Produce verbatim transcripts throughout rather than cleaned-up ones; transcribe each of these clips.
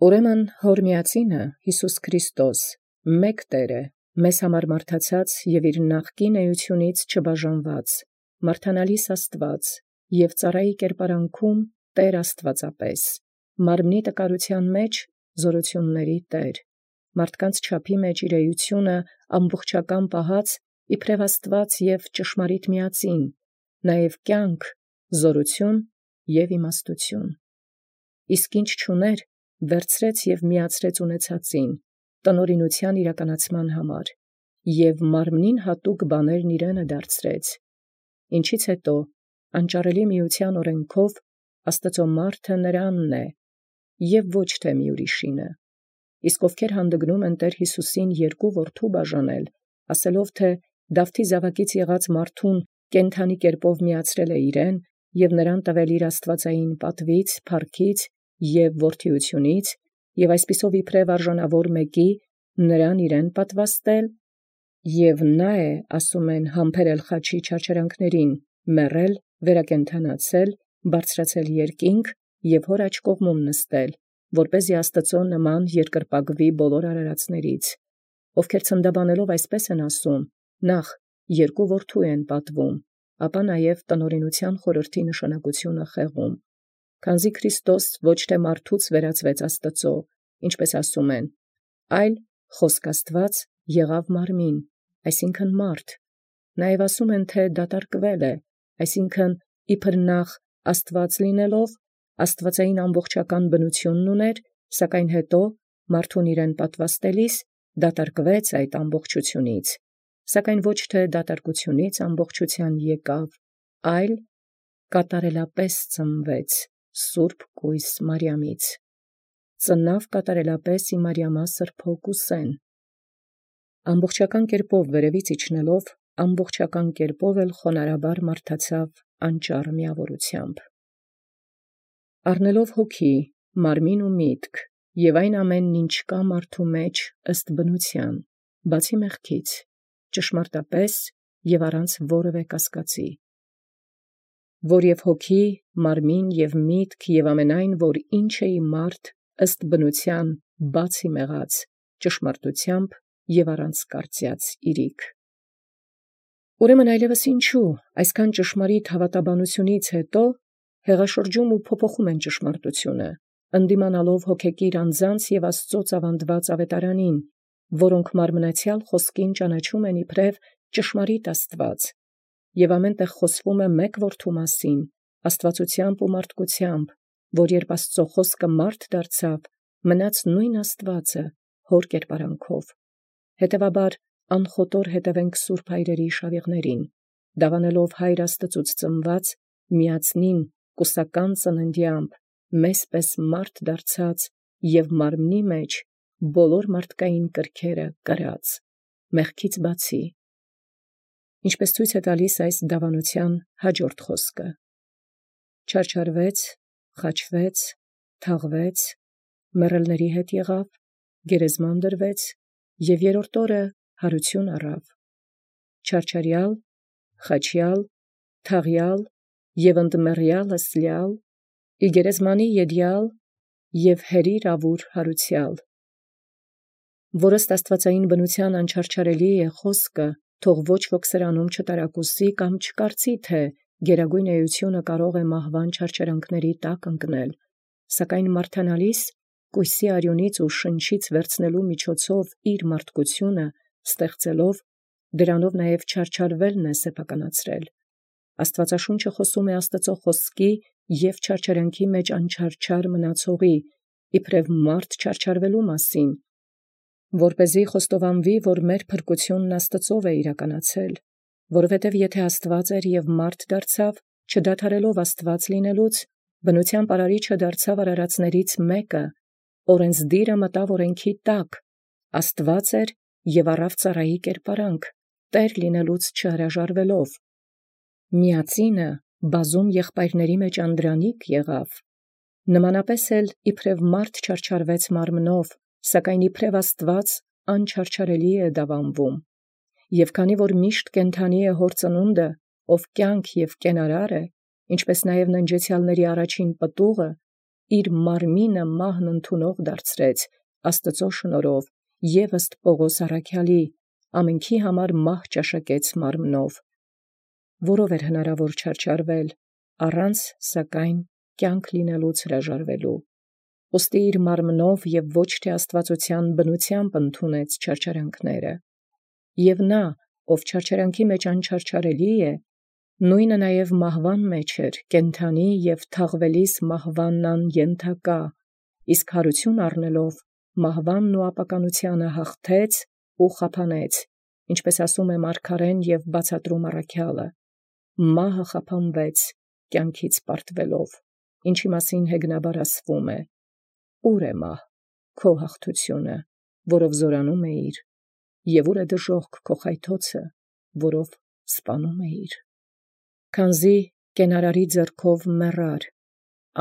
Ուրեմն հոր միածինը Յիսուս Քրիստոս մեկ Տէր է, մեզ համար մարդացած և իր նախկին էությունից չբաժանված, մարդանալից Աստուած և ծառայի կերպարանքում Տէր Աստուածապէս, մարմնի տկարութեան մեջ զօրութիւնսն Տէր, մարդկանց չափի մեջ իր էությունը ամբողջական պահած իբրև Աստուած և ճշմարիտ միածին, նաև կյանք, զօրութիւն և իմաստութիւն։ Իսկ ինչ չուներ, վերցրեց և միացրեց ունեցածին, տնօրինութեան իրականացման համար, և մարմնին հատուկ բաներն իրենը դարձրեց, ինչից հետո անճարելի միութեան օրենքով Աստուծոյ մարդը նրանն է, և ոչ թե մի ուրիշինը։ Իսկ ովքեր հանդգնում են Տէր Յիսուսին երկու որդու բաժանել, ասելով թէ Դավթի զաւակից եղած մարդուն կենդանի կերպով միացրել է իրեն և նրան տվել իր աստուածային պատուից, փառքից և որդիութիւնից, և այսպիսով իբրև արժանավոր մեկի նրան իրեն պատուաստել, և նա է, ասում են, համբերել խաչի չարչարանքներին, մեռել, վերակենդանացել, բարձրացել երկինք և հոր աջ կողմում նստել, որպեսզի Աստուծոյ նման երկրպագուի բոլոր արարածներից, ովքեր ցնդաբանելով այսպէս են ասում. նախ երկու որդու են պատվում, ապա նաև տնօրինութեան խորհրդի նշանակութիւնը խեղում։ Քանզի Քրիստոս ոչ թե մարդուց վերածվեց Աստուծոյ, ինչպէս ասում են, այլ խոսք Աստուած եղաւ մարմին, այսինքն՝ մարդ. նաև ասում են, թէ դատարկվել է, այսինքն՝ իբր նախ Աստուած լինելով, աստուածային ամբողջական բնութիւնն ուներ, սակայն հետո մարդուն իրեն պատուաստելիս դատարկվեց այդ ամբողջութիւնից, սակայն ոչ թե դատարկութիւնից ամբողջութեան եկաւ, այլ կատարելապէս ծնուեց սուրբ կոյս Մարիամից, ծնաւ կատարելապէս իմարիամասր փոկուսեն, ամբողջական կերպով վերևից իջնելով, ամբողջական կերպով էլ խոնարհաբար մարդացավ անճառ միավորութեամբ, առնելով հոգի, մարմին ու միտք, և այն ամենն ինչ կա մարդու մեջ ըստ բնութեան, բացի մեղքից, ճշմարտապէս և առանց որևէ կասկածի, որ և հոգի, մարմին և միտք և ամենայն, որ ինչ է մարդ ըստ բնութեան բացի մեղած, ճշմարտութեամբ և առանց կարծեաց իրիկ։ Ուրեմն այլևս ինչու, այսքան ճշմարիտ հավատաբանութիւնից հետո հեղաշրջում ու փոփոխում են ճշմարտութիւնը, ընդդիմանալով հոգեկիր անձանց և Աստուծոյ ծավանդված աւետարանին, որոնք մարմնացեալ խոսքին ճանաչում են իբրև ճշմարիտ Աստուած, և ամեն տեղ խոսվում է մեկ Որդու մասին, աստուածութեամբ ու մարդկութեամբ, որ երբ Աստուծոյ խոսքը մարդ դարձավ, մնաց նույն Աստուածը հոր կերպարանքով։ Հետևաբար անխոտոր հետևենք սուրբ հայրերի իշավիղներին, դավանելով Հայր Աստծուց ծնված միածնին կուսական ծննդեամբ մեզ պես մարդ դարձած և մարմնի մեջ բոլոր մարդկային կրքերը կրած, մեղքից բացի, ինչպես ցույց է տալիս այս դավանութեան հաջորդ խոսքը. չարչարվեց, խաչվեց, թաղվեց, մեռելների հետ եղավ, գերեզման դրվեց և երրորդ օրը յարութիւն առավ, չարչարեալ, խաչեալ, թաղեալ և ընդմեռեալ ըսելեալ, ի գերեզմանի յեդեալ և հերիր աւուր յարուցեալ, որ ըստ աստուածային բնութեան անչարչարելի է խոսքը, թող ոչ ոք սրանում չտարակուսի կամ չկարծի, թէ գերագոյն էությունը կարող է մահվան չարչարանքների տակ ընկնել, սակայն մարդանալից կոյսի արիւնից ու շնչից վերցնելու միջոցով իր մարդկութիւնը ստեղծելով, դրանով նաև չարչարվելն է սեփականացրել։ Աստուածաշունչը խոսում է Աստուծոյ խոսքի և չարչարանքի մեջ անչարչար մնացողի, իբրև մարդ չարչարվելու մասին, որպեսզի խոստովանվի, որ մեր փրկութիւնն Աստուծոյ է իրականացել, որովհետև եթէ Աստուած էր և մարդ դարձավ, չդադարելով Աստուած լինելուց, բնութեան պարարիչը դարձավ արարածներից մեկը, օրենսդիրը մտավ օրենքի տակ, Աստուած էր և առավ ծառայի կերպարանք, Տէր լինելուց չհրաժարվելով, միածինը բազում եղբայրների մեջ անդրանիկ եղավ, նմանապես էլ իբրև մարդ չարչարվեց մարմնով, սակայն իբրև Աստուած անչարչարելի է դաւանվում, և քանի որ միշտ կենդանի է հոր ծնունդը, ով կյանք և կենարար է, ինչպես նաև ննջեցեալների առաջին պտուղը, իր մարմինը մահն ընդունող դարձրեց Աստծո շնորհով և ըստ Պողոս առաքյալի ամենքի համար մահ ճաշակեց մարմնով, որով էր հնարավոր չարչարվել, առանց սակայն կյանք լինելուց հրաժարվելու, ուստի իր մարմնով և ոչ թե աստվածության բնությամբ ընդունեց չարչարանքները, և նա, ով չարչարանքի մեջ անչարչարելի է, նույնը նաև մահվան մեջ էր, կենդանի և թաղվելիս մահվանն անյենթակա, իսկ հարություն առնելով մահվանն ու ապականությանը հաղթեց ու խափանեց, ինչպես ասում է մարգարեն և բացատրում առաքյալը. մահը խափանվեց կյանքից պարտվելով, ինչի մասին հեգնաբար ասվում է. ուր է մահ քո հաղթությունը, որով զորանում էիր, և ուր է դժոխք քո խայթոցը, որով սպանում էիր, քանզի կենարարի ձեռքով մեռար,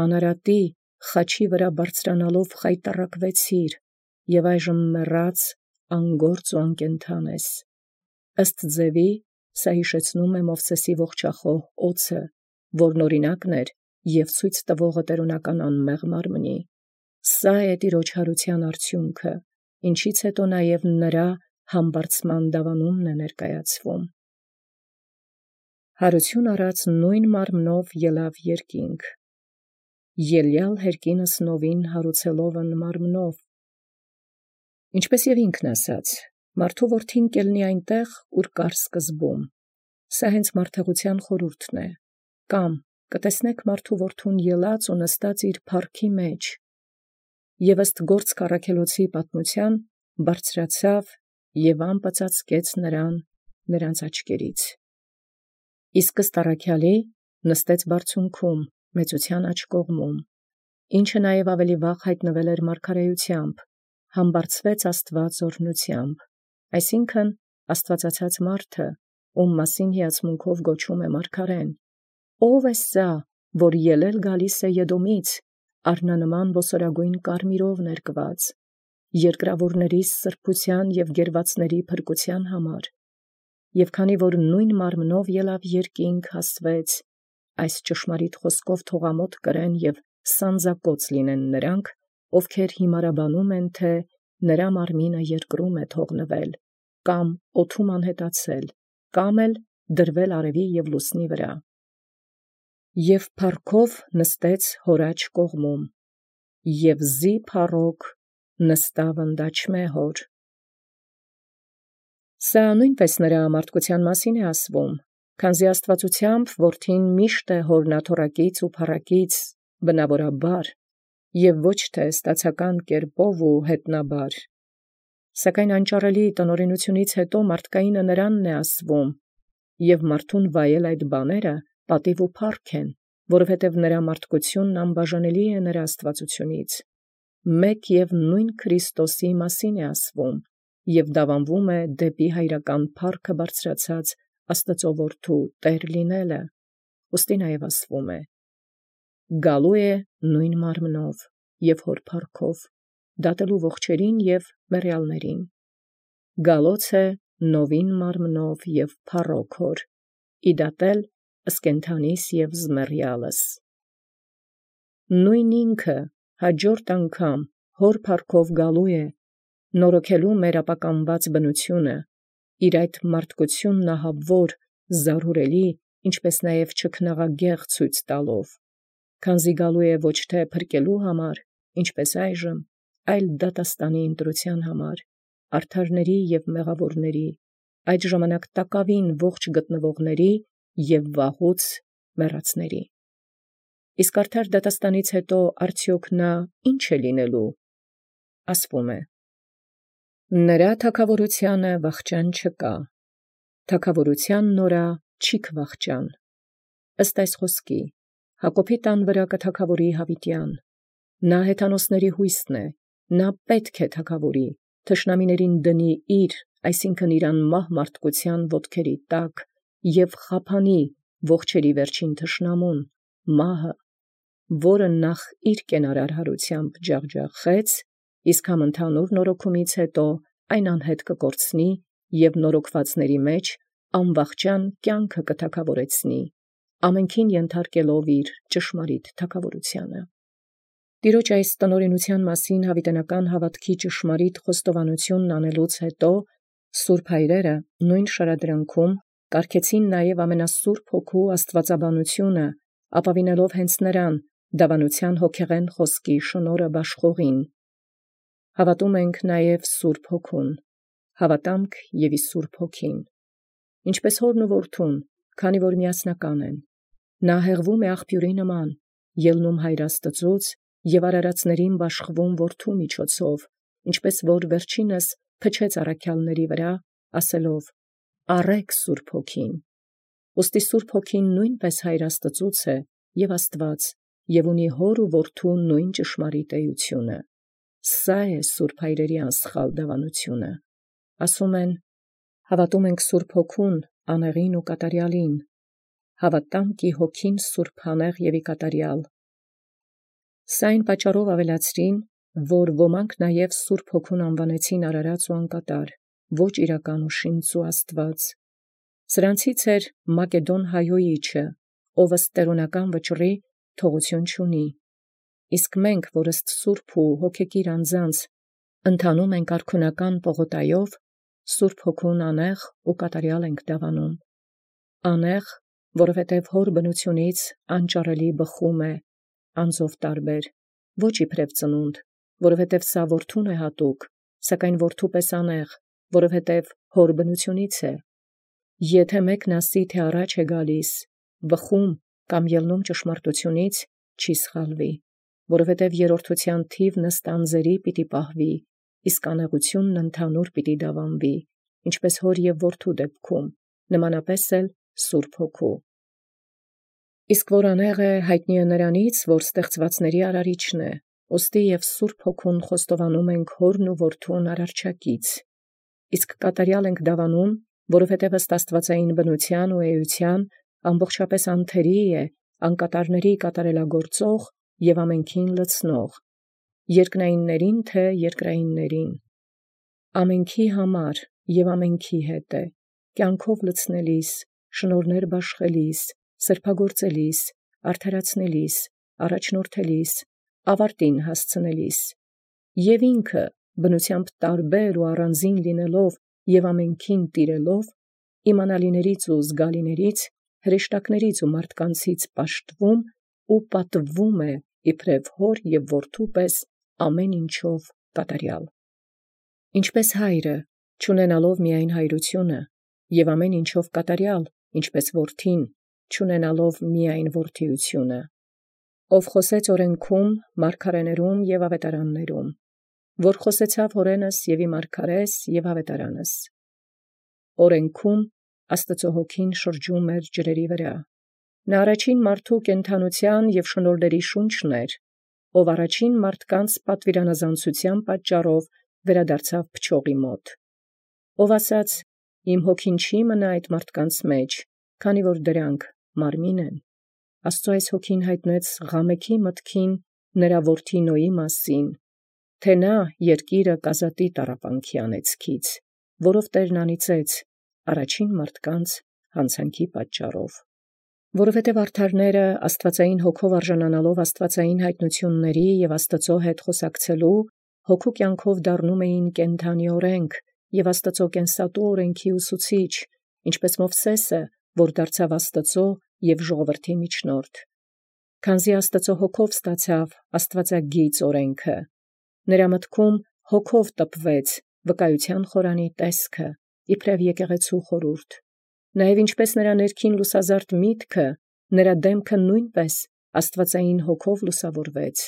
անարատի խաչի վրա բարձրանալով խայտառակվեցիր, և այժմ մեռած անգործ ու անկենդան ես, ըստ ձևի սա հիշեցնում է Մովսեսի ողջախոհ օձը, որն օրինակն էր և ցույց տվողը տերունական անմեղ մարմնի, սա է Տիրոջ հարության արդյունքը, ինչից հետո նաև նրա համբարձման դավանումն է ներկայացվում։ Հարություն առած նույն մարմնով ելավ երկինք, ելյալ հերկինս նովին հարուցելովն մարմնով, ինչպես և ինքն ասաց, մարդու որդին կելնի այնտեղ, ուր կար սկզբում, սա հենց մարդեղության խորհուրդն է, կամ կտեսնեք մարդու որդուն ելած ու նստած իր փառքի մեջ, և ըստ Գործք առաքելոցի պատմության բարձրացավ և ամպը ծածկեց նրան նրանց աչքերից, իսկ ըստ առաքյալի նստեց բարձունքում մեծության աջ կողմում, ինչը նաև ավելի վաղ հայտնվել էր մարգարեությամբ, համբարձվեց Աստված օրհնությամբ, այսինքն աստվածացած մարդը, ում մասին հիացմունքով գոչում է մարգարեն, ո՞վ է սա, որ ելել գալիս է Եդոմից, առնանման ոսորագույն կարմիրով ներկված, երկրավորների սրբության և գերվածների փրկության համար, և քանի որ նույն մարմնով ելավ երկինք հասվեց, այս ճշմարիտ խոսքով թողամոտ կրեն և սանձակոծ լինեն նրանք, ովքեր հիմարաբանում են, թե նրա մարմինը երկրում է թողնվել, կամ օդում անհետացել, կամ էլ դրվել արևի և լուսնի վրա, և փառքով նստեց հոր աջ կողմում, և զի փառոք նստավ ընդաչմե հոր։ Սա նույնպես նրա մարդկության մասին է ասվում, քանզի աստվածությամբ որդին միշտ է հորն աթոռակից ու փառակից բնավորաբար, և ոչ թե ստացական կերպով ու հետնաբար, սակայն անճարելի տնօրենությունից հետո մարդկայինը նրանն է ասվում, և մարդուն վայել այդ բաները պատիվ ու փառք են, որովհետև նրա մարդկությունն անբաժանելի է նրա աստվածությունից, մեկ և նույն Քրիստոսի մասին է ասվում, և դավանվում է դեպի հայրական փառքը բարձրացած Աստծո որդու տեր լինելը, ուստի նաև ասվում է. գալու է նույն մարմնով և հոր փառքով, դատելու ողջերին և մեռյալներին, գալոց է նովին մարմնով և փառոք հոր, իդատել ըսկենթանիս և զմեռյալս, նույն ինքը հաջորդ անգամ հոր փառքով գալու է, նորոգելու մեր ապականված բնությունը, իր այդ մարդկությունն ահավոր, զարհուրելի, ինչպես նաև չքնաղագեղ ցույց տալով, քանզի գալու է ոչ թե փրկելու համար, ինչպես այժմ, այլ դատաստանի ընտրության համար, արդարների և մեղավորների, այդ ժամանակ տակավին ողջ գտնվողների և վաղուց մեռածների։ Իսկ արդար դատաստանից հետո արդյոք նա ի՞նչ է լինելու, ասվում է. նրա թագավորությանը վախճան չկա, թագավորությանն օրա չի քվախճան, ըստ այս խոսքի, Հակոբի տան վրա կթագավորի յաւիտեան, նա հեթանոսների հույսն է, նա պետք է թագավորի, թշնամիներին դնի իր, այսինքն իր անմահ մարդկության ոտքերի տակ, և խափանի ողջերի վերջին թշնամուն, մահը, որը նախ իր կենարար հարությամբ ջախջախեց, իսկ համընդհանուր նորոգումից հետո այն անհետ կկորցնի և նորոգվածների մեջ անվախճան կյանքը կթագավորեցնի, ամենքին ենթարկելով իր ճշմարիտ թագավորությանը։ Տիրոջ այս տնօրինութեան մասին յաւիտենական հաւատքի ճշմարիտ խոստովանութիւնն անելուց յետո սուրբ հայրերը նոյն շարադրանքում կարգեցին նաև ամենասուրբ Հոգու աստուածաբանությունը, ապավինելով հենց նրան դավանութեան հոգեղեն խոսքի շնորհը բաշխողին։ Հավատում ենք նաև Սուրբ Հոգուն, հաւատամք և ի Սուրբ Հոգին, ինչպես հորն ու որդուն, քանի որ միասնական են։ Նա հեղվում է աղբիւրի նման, ելնում հայր Աստուծոց և արարածներին բաշխվում որդու միջոցով, ինչպես որ վերջինս փչեց առաքյալների վրա, ասելով. «Առէք Սուրբ Հոգին»։ Ուստի Սուրբ Հոգին նոյնպէս հայր Աստուծոց է և Աստուած, և ունի հոր ու որդու նոյն ճշմարիտ էությունը։ Սա է սուրբ հայրերի անսխալ դավանությունը։ Ասում են. հավատում ենք Սուրբ Հոգուն, անեղին ու կատարյալին, հավատամք ի Հոգին սուրբանեղ և ի կատարյալ։ Սա այն պատճառով ավելացրին, որ ոմանք նաև Սուրբ Հոգուն անվանեցին արարած ու անկատար, ոչ իրական ու շինծ ու Աստուած։ Սրանցից էր Մակեդոն հայոյիչը, ով ըստ տերունական վճռի թողութիւն չունի։ Իսկ մենք, որ ըստ սուրբ ու հոգեկիր անձանց ընթանում ենք արքունական պողոտայով, Սուրբ Հոգուն անեղ ու կատարյալ ենք դավանում։ Անեղ, որովհետև հոր բնութիւնից անճարելի բխում է, անձով տարբեր, ոչ իբրև ծնունդ, որովհետև սա որդուն է հատուկ, սակայն որդու պես անեղ, որովհետև հոր բնութիւնից է։ Եթէ մեկն ասի, թէ առաջ է գալիս, բխում կամ ելնում ճշմարտութիւնից, չի սխալվի, որովհետև երրորդութեան թիվն ըստ անձերի պիտի պահվի, իսկ անեղութիւնն ընդհանուր պիտի դավանվի, ինչպես հոր և որդու դեպքում, նմանապես էլ Սուրբ Հոգու։ Իսկ որ անեղ է, յայտնի է նրանից, որ ստեղծուածների արարիչն է, ուստի և Սուրբ Հոգուն խոստովանում ենք հորն ու որդուն արարչակից։ Իսկ կատարյալ ենք դավանում, որովհետև ըստ աստուածային բնութեան ու էության ամբողջապէս անթերի է, անկատարների կատարելագործող և ամենքին լցնող, երկնայիններին թե երկրայիններին, ամենքի համար և ամենքի հետ է, կյանքով լցնելիս, շնորհներ բաշխելիս, սրբագործելիս, արդարացնելիս, առաջնորդելիս, ավարտին հասցնելիս, և ինքը բնութեամբ տարբեր ու առանձին լինելով և ամենքին տիրելով, իմանալիներից ու զգալիներից, հրեշտակներից ու մարդկանցից պաշտվում ու պատվվում է իբրև հոր և որդու պես ամեն ինչով կատարյալ։ Ինչպես հայրը, չունենալով միայն հայրությունը, և ամեն ինչով կատարյալ, ինչպես որդին, չունենալով միայն որդիությունը, ով խոսեց օրենքում, մարգարեներում և ավետարաններում, որ խոսեցավ հորենս և ի մարգարէս և ավետարանս։ Օրենքում Աստուծոյ Հոգին շրջում էր ջրերի վրա։ Նա առաջին մարդու կենդանութեան և շնորհների շունչն էր, ով առաջին մարդկանց պատվիրանազանցութեան պատճառով վերադարձավ փչողի մոտ, ով ասաց. «Իմ հոգին չի մնա այդ մարդկանց մեջ, քանի որ դրանք մարմին են»։ Աստուծոյ այս Հոգին յայտնեց Ղամեքի մտքին նրա որդի Նոյի մասին, թէ նա երկիրը կազատի տառապանքի անեծքից, որով Տէրն անիծեց առաջին մարդկանց յանցանքի պատճառով։ Որովհետև արդարները աստուածային Հոգով արժանանալով աստուածային յայտնութիւնների և Աստուծոյ հետ խոսակցելու, հոգու կյանքով դառնում էին կենդանի օրենք և Աստուծոյ կենսատու օրենքի ուսուցիչ, ինչպես Մովսէսը, որ դարձավ Աստուծոյ և ժողովրդի միջնորդ։ Քանզի Աստուծոյ Հոգով ստացավ աստուածագիծ օրենքը, նրա մտքում Հոգով տպվեց վկայութեան խորանի տեսքը, իբրև եկեղեցու խորհուրդ, նաև ինչպես նրա ներքին լուսազարդ միտքը, նրա դեմքը նույնպես աստուածային Հոգով լուսավորվեց։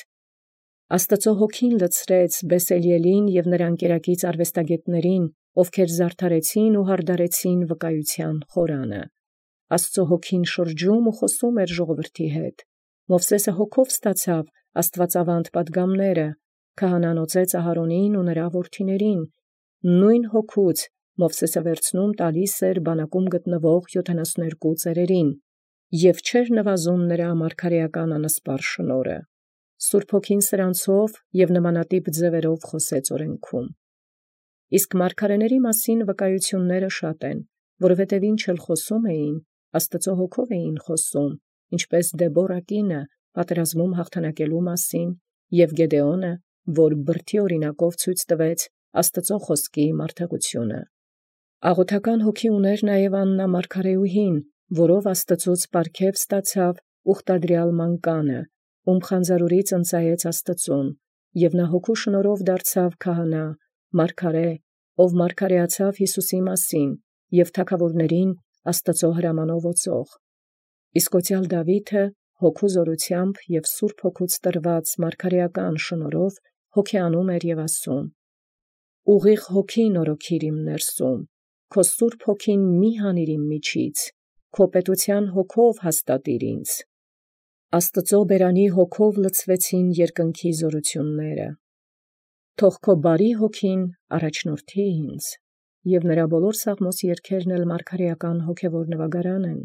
Աստուծոյ Հոգին լցրեց Բեսելիելին և նրա ընկերակից արվեստագետներին, ովքեր զարդարեցին ու հարդարեցին վկայութեան խորանը։ Աստուծոյ Հոգին շրջում ու խոսում էր ժողովրդի հետ։ Մովսէսը Հոգով ստացավ աստուածավանդ պատգամները, քահանան օծեց Ահարոնին ու նրա որդիներին, նույն Հոգուց Մովսէսը վերցնում տալիս էր բանակում գտնվող յոթանասունհրկու ծերերին, և չէր նվազում նրա մարգարէական անսպար շնորհը։ Սուրբ Հոգին սրանցով և նմանատիպ ձևերով խոսեց օրենքում։ Իսկ մարգարեների մասին վկայությունները շատ են, որովհետև ինչ էլ խոսում էին, Աստուծոյ Հոգով էին խոսում, ինչպես Դեբորա կինը պատերազմում հաղթանակելու մասին և Գեդեոնը, որ բրդի օրինակով ցույց տվեց Աստուծոյ խոսքի մարդեղությունը։ Աղոթական հոգի ուներ նաև Աննա մարգարեուհին, որով Աստուծոց պարգև ստացավ ուխտադրյալ մանկանը, ում խանձարուրից ընծայեց Աստուծուն, և նա հոգու շնորհով դարձավ քահանա, մարգարե, ով մարգարեացավ Յիսուսի մասին և թագաւորացն Աստուծոյ հրամանով օծող։ Իսկ օծյալ Դաւիթը հոգու զորութեամբ և սուրբ հոգուց տրված մարգարեական շնորհով հոգեանում էր և ասում. «Ուղիղ հոգին օրոքիր իմ ներսում, քո սուրբ հոգին մի՛ հանիր իմ միջից, քո պետութեան հոգով հաստատիր ինձ»։ Աստուծոյ բերանի հոգով լցվեցին երկնքի զօրութիւնները։ Թող քո բարի հոգին առաջնորդի ինձ, և նրա բոլոր սաղմոս երգերն էլ մարգարեական հոգևոր նուագարան են։